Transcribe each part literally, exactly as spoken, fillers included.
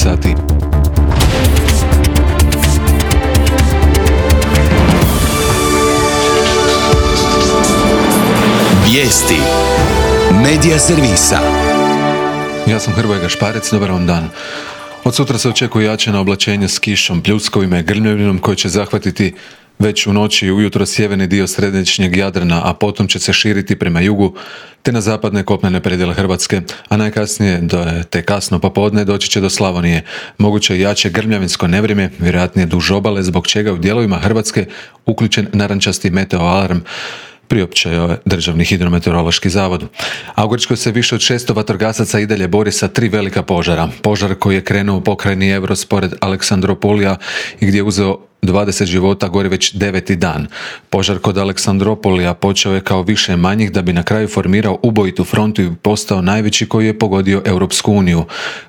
devetnaest sati. Vijesti Medija servisa. Ja sam Hrvoje Gašparec, dobar vam dan. Od sutra se očekuje jačeno oblačenje s kišom, pljuskovima i grmljavinom koje će zahvatiti već u noći i ujutro sjeverni dio središnjeg Jadrana, a potom će se širiti prema jugu te na zapadne kopnene predjele Hrvatske, a najkasnije do te kasno popodne doći će do Slavonije. Moguće jače grmljavinsko nevrijeme, vjerojatnije duž obale, zbog čega u dijelovima Hrvatske uključen narančasti meteo alarm, priopćio je Državni hidrometeorološki zavod. A u Grčkoj se više od šesto vatrogasaca i dalje bori sa tri velika požara. Požar koji je krenuo u pokrajini Evros pored Aleksandropolija i gdje je uzeo dvadeset života gori već deveti dan. Požar kod Aleksandropolija počeo je kao više manjih da bi na kraju formirao ubojitu frontu i postao najveći koji je pogodio Europsku uniju.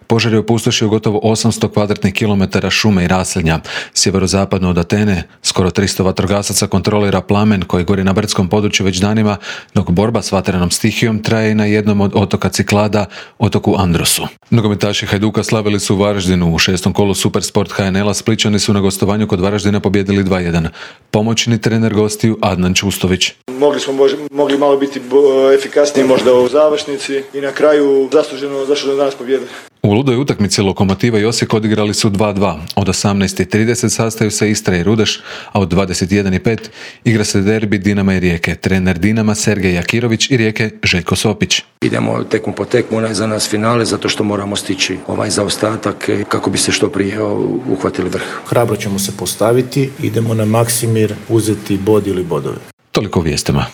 Požar je opustošio gotovo osamsto kvadratnih kilometara šume i raselja. Sjeverozapadno od Atene skoro tristo vatrogasaca kontrolira plamen koji gori na brdskom području već danima, dok borba s vatrenom stihijom traje i na jednom od otoka Ciklada, otoku Androsu. Nogometaši Hajduka slavili su u Varaždinu u šestom kolu Supersport ha en el-a. Splićani su na gostovanju kod Varaždina pobijedili dva jedan. Pomoćni trener gostiju Adnan Čustović. Mogli smo mož, mogli malo biti efikasniji možda u završnici i na kraju zasluženo zašto da danas pobjede. U ludoj utakmici Lokomotiva i Osijek odigrali su dva dva. Od osamnaest i trideset sastaju se Istra i Rudeš, a od dvadeset jedan i pet igra se derbi Dinama i Rijeke. Trener Dinama Sergej Jakirović i Rijeke Željko Sopić. Idemo tekmu po tekmu, onaj za nas finale, zato što moramo stići ovaj zaostatak kako bi se što prije uhvatili vrh. Hrabro ćemo se postaviti, idemo na Maksimir uzeti bod ili bodove. Toliko o vijestima.